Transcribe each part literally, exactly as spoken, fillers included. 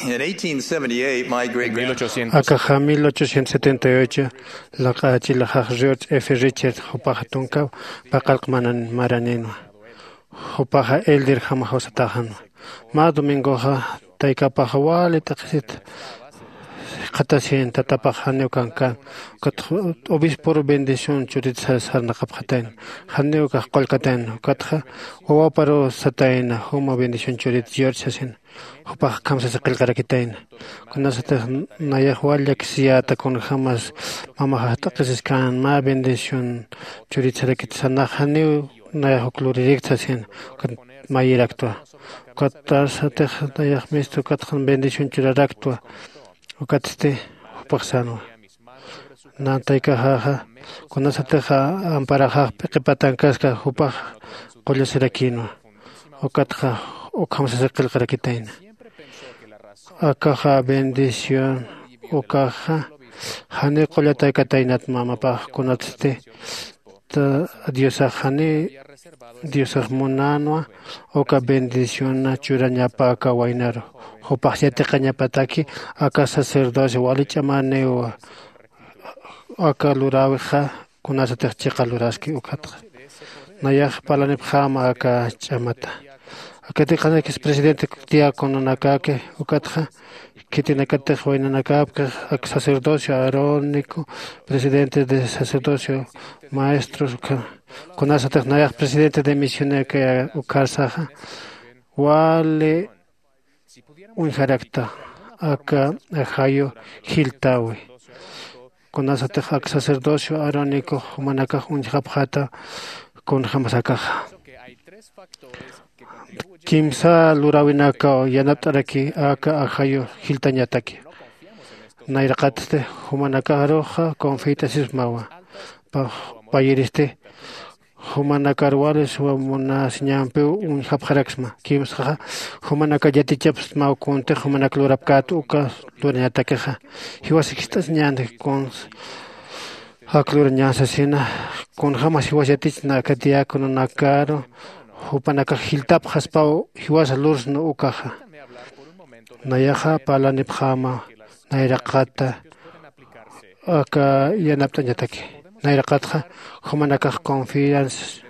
In eighteen seventy-eight, my great grandfather Akaxa mil ochocientos setenta y ocho laq'achilaxax George F. Richard jupaxa tunka paqalqmanan maraninwa. Jupaxa elder jama jawsataxanwa. Mä domingoxa taykapaxa wali t'aqhisit qhatasin tatapax janiw kankan. Ukatxa obispor bendición churit sarnaqapxatayna. Janiw kax qullkatayna ukatxa wawaparu satayna juma bendición churit George sasin. Jupax kamsasi qillqarakitayna. Kunasatix nayax wal llakisiyäta kunjämas mamaxax t'aqhisiskan mä bendición churitsarakit sanax janiw nayax uk luririkt sasin. Ukat mayiraktwa. Ukatasatix nayax mista ukatxa bendición churaraktwa. Ukatsti jupax sänwa. Nantaykaxaxa kunasatixa amparaxax p'iqipatankaska jupax qullasirakïnwa. Ukatxa ukham sasa qillqarakitayna. Akaxa bendición ukaxa janiw qullataykataynat mamapax kunatsti diosax janiy diosax munänwa. Uka bendicionna churañapa aka waynaru jupax yatiqañapataki aka sacerdocio wali ch'amaniwa. Aka luräwixa kunasatix chiqa luraski ukatxa nayax parlanipxäma aka ch'amata. Akatix qhanakis presidente diacononakaki ukatxa khitinakatix waynanakäpkix ak sacerdocio arónico presidente de sacerdocio maestros kunasatix nayax presidente de misionaka ukharsaxa wali uñjarakta aka ajayu jiltäwi. Kunasatix ak sacerdocio arónico jumanakax uñjapxata kunjämas akaxa kimsa luräwinakaw yanapt'araki aka ajayu jiltañataki. Nayraqatsti jumanakaruxa confiyt'asismawa. Payiristi jumanakar wali suma munasiñampiw uñjapxaraksma kimsaxa jumanakar yatichapsmaw kuntix jumanak lurapkät uka lurañatakixa. Jiwas jist'asiñänti kuns ak lurañän sasina. Kunjämas jiwas yatichna aka diacononakaru jupanakax jiltapxaspaw jiwasa lursna ukaxa. Nayaxa parlanipxäma nayraqata aka yanapt'añataki. Nayraqatxa jumanakax confianza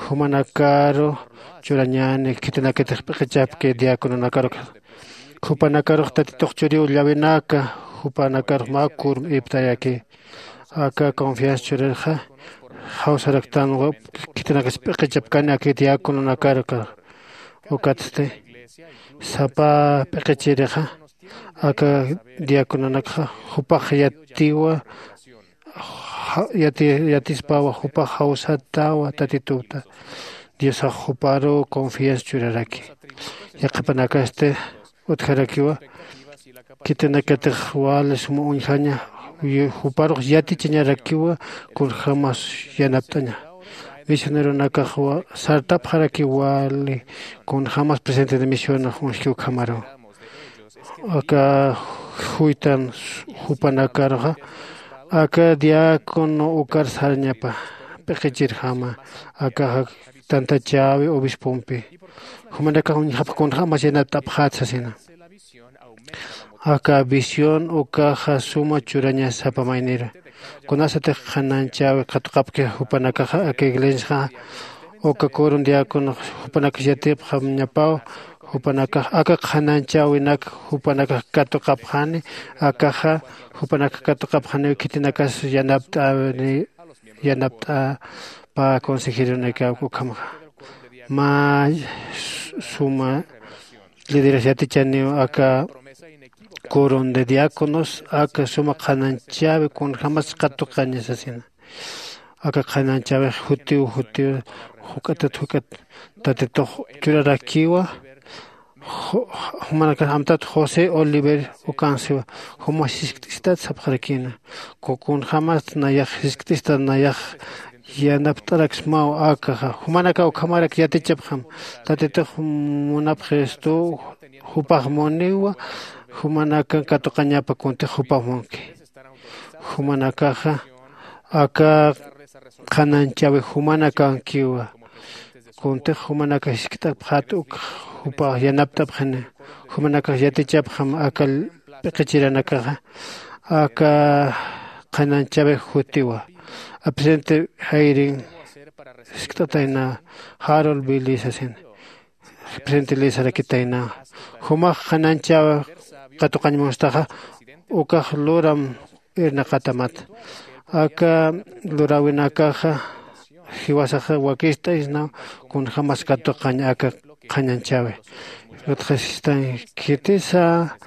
jumanakaru churañäni khitinakatix p'iqichapki diacononakaru. Jupanakarux tatitux churiw llawinaka jupanakarux mä kurm iptayaki. Aka confianza churarxa jawsaraktanwa khitinakas p'iqichapkani aki diacononakar ukatsti sapa p'iqichirixa aka diacononakxa jupax yatiwa. Yatispawa jupax jawsatawa tatituta. Diosax juparuw confianza churaraki. Yaqhipanakasti utjarakiwa khitinakatix wali suma uñjaña juparux yatichañarakiwa kunjämas yanapt'aña. Misioneronakax sartapxarakiw wali kunjämas presidente de misionax uñjki ukhamaruw. Aka juytan jupanakaruxa aka diácono ukar sarañapa p'iqichirjama akaxa tantachäwi obispompi. Jumanakax uñjapx kunjämas yanapt'apxät sasina. Aka visión ukaxa suma churaña sapa mayniru. Kunasatix qhanañchäwi katuqapki jupanakaxa aka iglesiaxa uka coron diáconox jupanakax yatipxañapaw jupanakax aka qhanañchäwinak jupanakax katuqapxani. Akaxa jupanakax katuqapxaniw khitinakas yanapt'äwini yanapt'apä consejeronakaw ukhamxa. Mä suma lideras yatichaniw aka coron de diáconos aka suma qhanañchäwi kunjämas katuqaña sasina. Aka qhanañchäwix jutiw jutiw juk'atat juk'at tatitux churarakiwa. Jumanakan amtat josé oliver ukansiwa. Juma jiskt'istat sapxarakina. Kunjämast nayax jiskt'istat nayax yanapt'araksmaw akaxa jumanakaw ukhamarak yatichapxam. Tatitux munapxistu jupax muniwa. Jumanakan katuqañapa kuntix jupax munki. Jumanakaxa aka qhanañchäwi jumanakankiwa. Kuntix jumanakax jiskt'apxät uk jupax yanapt'apxini. Jumanakax yatichapxam aka p'iqichiranakaxa aka qhanañchawix jutiwa. Presidente Hayrin jiskt'atayna, Harold Billy sasin, presidente Lee sarakitayna, jumax qhanañchaw katuqañ munstaxa ukax luram irnaqatamat. Aka luräwinakaxa jiwasaxa wakist'aysna kunjämas katuqañ aka qhanañchäwi. Utjasistan khitisa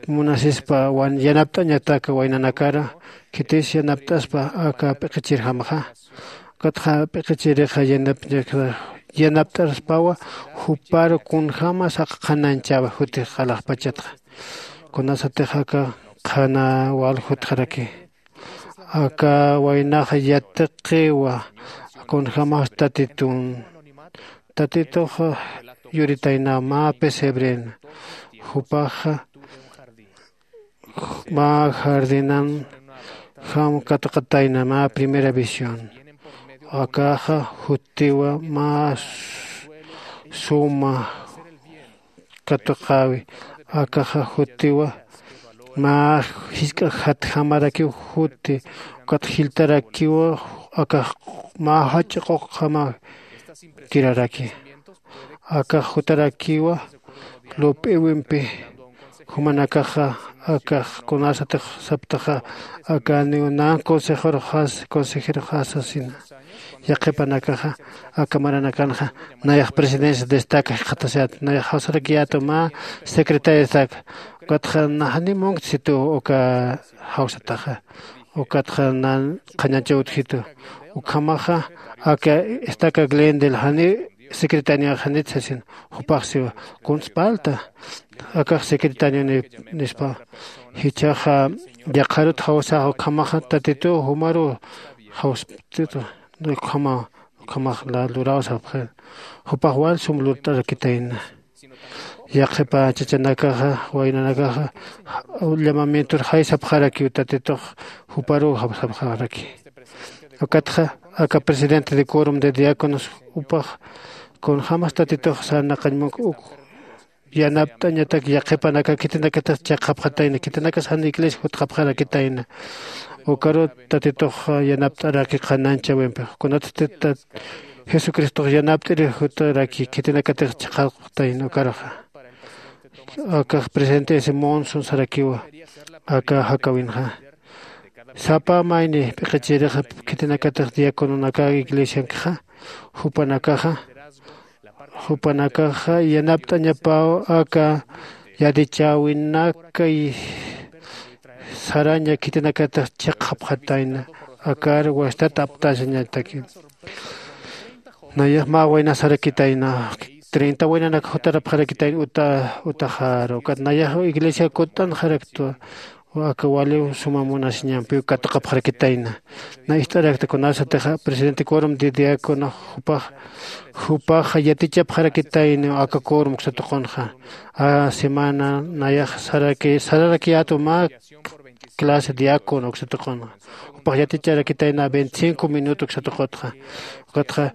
munasispa wan yanapt'añatak waynanakara, khitis yanapt'aspa aka p'iqichirjamxa. Ukatxa p'iqichirixa yanapt'aspawa jupar kunjämas aka qhanañchäwi jutix alaxpachatxa. Kunasatix aka qhana wal jutxaraki, aka waynaxa yatiqiwa kunjämas tatitun, tatitux yuritayna mä pesebren, jupaxa mä jardinan jam katuqatayna mä primera visión. Akaxa jutiwa mä suma katuqäwi. Akaxa jutiwa mä jisk'a jatjamarakiw juti, ukat jiltarakiwa akax mä jach'a quqjama kiraraki. Akax jutarakiwa lup'iwimpi. Jumanakaxa akax kunasatix saptaxa akaniw nan consejeroxas consejeroxasasina. Yaqhipanakaxa aka maranakanxa nayax presidencia destaca jikxatasat, nayax jawsarakiyätu mä secretaria destaca. Ukatxa naxani munkt situ uka jawsataxa, ukatxa nan qhañachaw utjitu. Ukhamaxa aka estaca glendel jani secretaria janit sasin. Jupax siwa, kunspalta akax secretario nispa. Jichhaxa yaqharut jawsaxa ukhamaxa tatituw jumaruw jawsptitu. Ukhama ukhamax luräw sapxi. Jupax wal sum lurt'arakitayna. Yaqhipa chachanakaxa waynanakaxa llamamientur jaysapxarakiw tatitux juparuw jawsapxaraki. Ukatxa aka presidente de quorum de diáconos jupax kunjämas tatitux sarnaqañ munk uk yanapt'añatak yaqhipanaka khitinakatix chiqapxatayna, khitinakas jan iglesia jutxapxarakitayna. Ukaru tatitux yanapt'araki qhanañchäwimpix. Kunatsti jesucristox yanapt'iri jutaraki khitinakatix chiqapxatayna ukaruxa. Akax presidente ese monson sarakiwa aka jakäwinxa. Sapa mayni p'iqichirixa khitinakatix diacononaka iglesiankxa, jupanakaxa jupanakaxa yanapt'añapaw aka yatichäwinaka saraña khitinakatix chiqapxatayna. Akar wastat aptasañataki. Nayax mä wayna sarakitayna, treinta waynanak jutarapxarakitayna uta utaxaru ukat nayax iglesia kutt'anxaraktwa. Aka waliw suma munasiñampiw katuqapxarakitayna. Na ist'arakta kunasatixa presidente quorum de diácono jupax jupaxa yatichapxarakitayna aka quorum uksa tuqunxa. A semana nayax saraki sararakiyätu mä clase diácono uksa tuqunxa. Jupax yaticharakitayna veinticinco minuto uksa tuqutxa. Ukatxa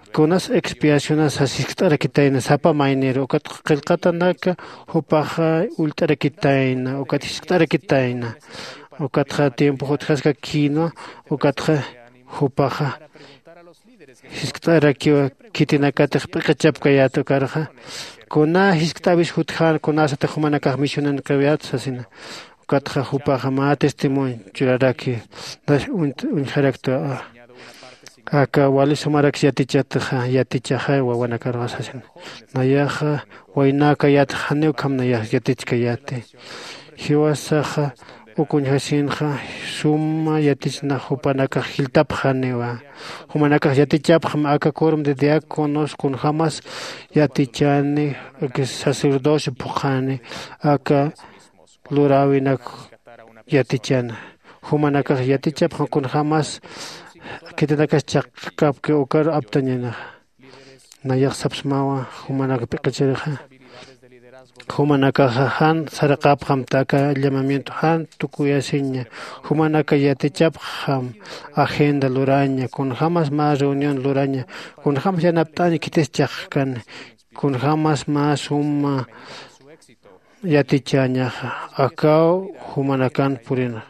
kunas expiacionas sas jiskt'arakitayna sapa mayniru ukat qillqatanaka jupaxa ullt'arakitayna ukat jiskt'arakitayna. Ukatxa tiempo jutjaskakïnwa. Ukatxa jupaxa jiskt'arakiwa khitinakatix p'iqichapkayät ukarxa kuna jiskt'äwis jutjän kunasatix jumanakax misionankawayät sasina. Ukatxa jupaxa mä testimonio churaraki. Uñjaraktwa aka wali sumaraks yatichataxa yatichaxa wawanakaruxa sasin. Nayaxa waynäkayätxa janiw ukham nayax yatichkayäti. Jiwasaxa uk uñjasinxa suma yatichna jupanakax jiltapxaniwa. Jumanakax yatichapxam aka quorum de diáconos kunjämas yatichani sacerdocio phuqhani aka luräwinak yatichana. Jumanakax yatichapxam kunjämas khitinakas chaqkapki ukaru aptañanaxa. Nayax sapsmawa jumanak p'iqichirixa jumanakaxa jan saraqapxamta aka llamamiento jan tukuyasiña. Jumanaka yatichapxam agenda luraña kunjämas mä reunión luraña kunjämas yanapt'aña khitis chaqkani kunjämas mä suma yatichäñaxa. Akaw jumanakan purina.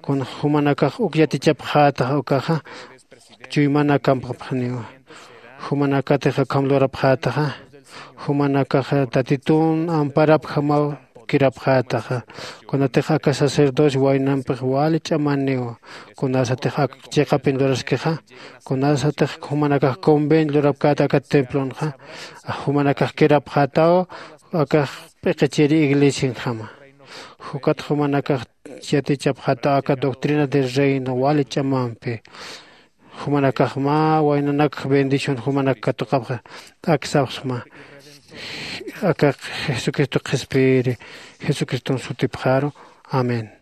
Kun jumanakax uk yatichapxätaxa ukaxa, chuymanakampxapxaniwa. Jumanakatix akham lurapxätaxa, jumanakaxa tatitun amparapjamaw kirapxätaxa. Kunatix aka sacerdocio waynampix wali ch'amaniwa. Kunasatix ak chiqapin luraskixa, kunasatix jumanakax convenio lurapkäta aka templonxa, jumanakax kirapxätaw akax p'iqichiri iglesianjama. Jukat jumanakax yatichapxätaw aka doctrina del reino wali ch'amampi. Jumanakax mä waynanak bendición jumanak katuqapxa t'aksapxsma. Aka jesucristo qhispiyiri, jesucriston sutipxaru. Amén.